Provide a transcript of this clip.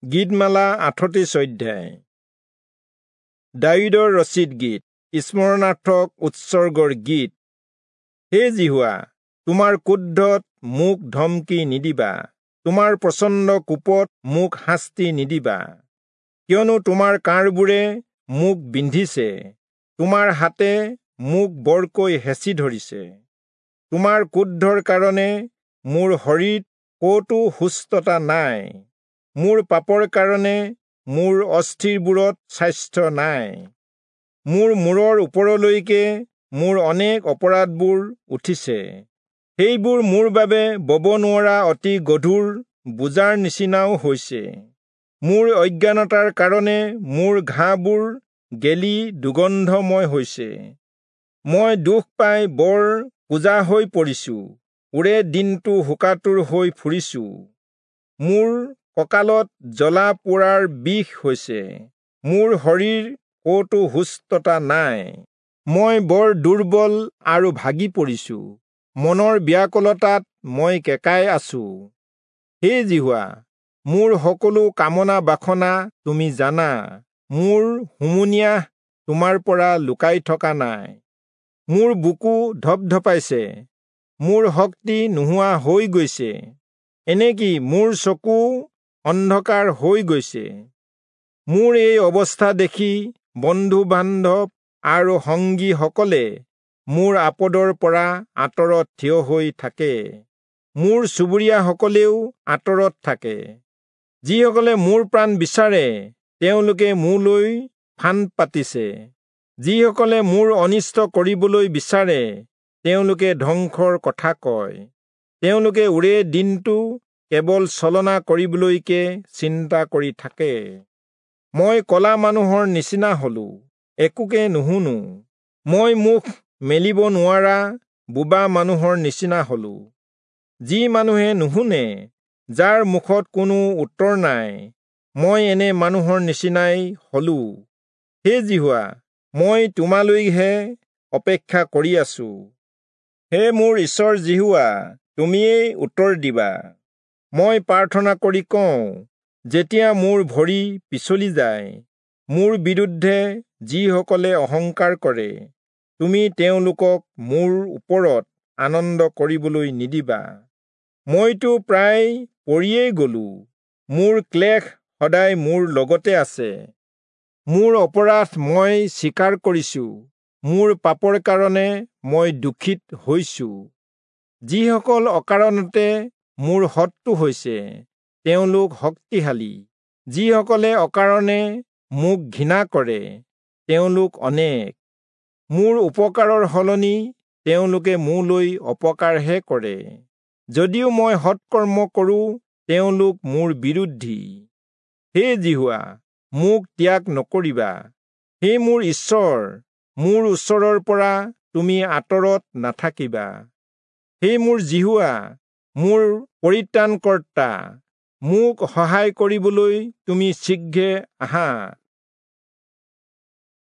গীতমালা 38 অধ্যায়। দায়ূদৰ ৰচিত গীত, স্মৰণাৰ্থক উৎসৰ্গৰ গীত। হে যিহোৱা, তোমাৰ ক্ৰোধত মোক ধমকি নিদিবা, তোমাৰ প্ৰচণ্ড কোপত মোক শাস্তি নিদিবা। কিয়নো তোমাৰ কাঁড়বোৰে মোক বিন্ধিছে, তোমাৰ হাতে মোক বৰকৈ হেঁচি ধৰিছে। তোমাৰ ক্ৰোধৰ কাৰণে মোৰ শৰীৰত ক'তো সুস্থতা নাই, মোৰ পাপৰ কাৰণে মোৰ অস্থিৰবোৰত স্বাস্থ্য নাই। মোৰ মূৰৰ ওপৰলৈকে মোৰ অনেক অপৰাধবোৰ উঠিছে, সেইবোৰ মোৰ বাবে বব নোৱৰা অতি গধুৰ বোজাৰ নিচিনাও হৈছে। মোৰ অজ্ঞানতাৰ কাৰণে মোৰ ঘাঁবোৰ গেলি দুৰ্গন্ধময় হৈছে। মই দুখ পাই বৰ কুঁজা হৈ পৰিছো, ওৰে দিনটো শোকাতুৰ হৈ ফুৰিছো। মোৰ কঁকালত জ্বলা পোৰাৰ বিষ হৈছে, মোৰ শৰীৰ ক'তো সুস্থতা নাই। মই বৰ দুৰ্বল আৰু ভাগি পৰিছো, মনৰ ব্যাকুলতাত মই কেঁকাই আছো। হে যিহোৱা, মোৰ সকলো কামনা বাসনা তুমি জানা, মোৰ হুমুনিয়াহ তোমাৰ পৰা লুকাই থকা নাই। মোৰ বুকু ধপধপাইছে, মোৰ শক্তি নোহোৱা হৈ গৈছে, এনেকি মোৰ চকু অন্ধকাৰ হৈ গৈছে। মোৰ এই অৱস্থা দেখি বন্ধু বান্ধৱ আৰু সংগীসকলে মোৰ আপদৰ পৰা আঁতৰত থিয় হৈ থাকে, মোৰ চুবুৰীয়াসকলেও আঁতৰত থাকে। যিসকলে মোৰ প্ৰাণ বিচাৰে তেওঁলোকে মোলৈ ফান্দ পাতিছে, যিসকলে মোৰ অনিষ্ট কৰিবলৈ বিচাৰে তেওঁলোকে ধ্বংসৰ কথা কয়। তেওঁলোকে ওৰে দিনটো কেৱল ছলনা কৰিবলৈকে চিন্তা কৰি থাকে। মই কলা মানুহৰ নিচিনা হলো, একোকে নুশুনো, মই মুখ মেলিব নোৱাৰা বোবা মানুহৰ নিচিনা হলো। যি মানুহে নুশুনে, যাৰ মুখত কোনো উত্তৰ নাই, মই এনে মানুহৰ নিচিনাই হলো। হে যিহোৱা, মই তোমালৈহে অপেক্ষা কৰি আছো। হে মোৰ ঈশ্বৰ যিহোৱা, তুমিয়েই উত্তৰ দিবা। মই প্ৰাৰ্থনা কৰি কওঁ, যেতিয়া মোৰ ভৰি পিছলি যায়, মোৰ বিৰুদ্ধে যিসকলে অহংকাৰ কৰে, তুমি তেওঁলোকক মোৰ ওপৰত আনন্দ কৰিবলৈ নিদিবা। মইতো প্ৰায় পৰিয়েই গলো, মোৰ ক্লেশ সদায় মোৰ লগতে আছে। মোৰ অপৰাধ মই স্বীকাৰ কৰিছো, মোৰ পাপৰ কাৰণে মই দুখিত হৈছো। যিসকল অকাৰণতে মোৰ শত্ৰু হৈছে, তেওঁলোক শক্তিশালী, যিসকলে অকাৰণে মোক ঘৃণা কৰে, তেওঁলোক অনেক। মোৰ উপকাৰৰ সলনি তেওঁলোকে মোলৈ অপকাৰহে কৰে, যদিও মই সৎকৰ্ম কৰোঁ, তেওঁলোক মোৰ বিৰোধী। হে যিহোৱা, মোক ত্যাগ নকৰিবা, হে মোৰ ঈশ্বৰ, মোৰ ওচৰৰ পৰা তুমি আঁতৰত নাথাকিবা। হে মোৰ যিহোৱা, মোৰ পৰিত্ৰাণকৰ্তা, মোক সহায় কৰিবলৈ তুমি শীঘ্ৰে আহা।